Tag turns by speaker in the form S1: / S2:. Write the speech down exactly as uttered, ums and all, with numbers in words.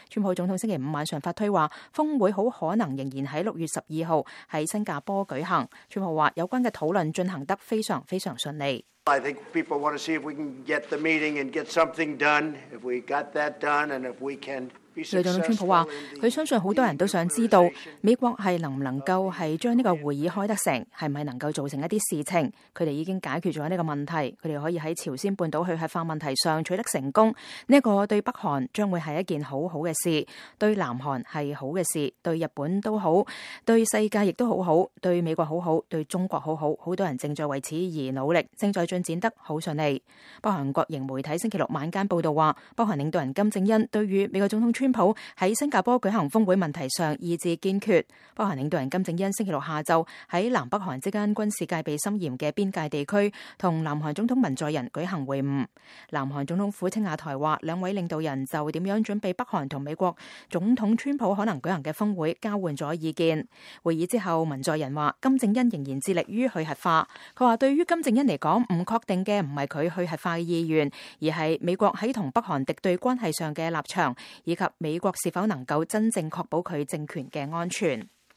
S1: 川普總統星期五晚上發推話，峰會好可能仍然喺六月十二號喺新加坡舉行。川普話有關嘅討論進行得非常非常順利。
S2: I think people want to see if we can get the meeting and get something done. If we got that done and if we can be successful. 總統川普話，佢相信好多人都想知道美國係能唔能夠係將呢個會議開得成，係咪能夠做成一啲事情。佢哋已經解決咗呢個問題，佢哋可以喺朝鮮半島去核化問題上取得成功。呢一個對北韓將會係一件好好嘅事，對南韓係好嘅事，對日本都好，對世界亦都好好，對美國好好，對中國好好。好多人正在為此而努力，正在進展得好順利。北韓國營媒體星期六晚間報道話，北韓領導人金正恩對於美國總統川普喺新加坡舉行峰會問題上意志堅決。北韓領導人金正恩星期六下晝喺南北韓之間軍事戒備森嚴嘅邊界地區同南韓總統文在寅舉行會晤。南韓總統府青瓦台話，兩位領導人就點樣準備北韓同美國總統川普可能舉行嘅峰會交換咗意見。會議之後，文在寅話金正恩仍然致力於去核化。佢話對於金正恩嚟講，唔確定嘅唔係佢去核化嘅意願，而係美國喺同北韓敵對關係上嘅立場，以及美國是否能夠真正確保佢政權嘅安全。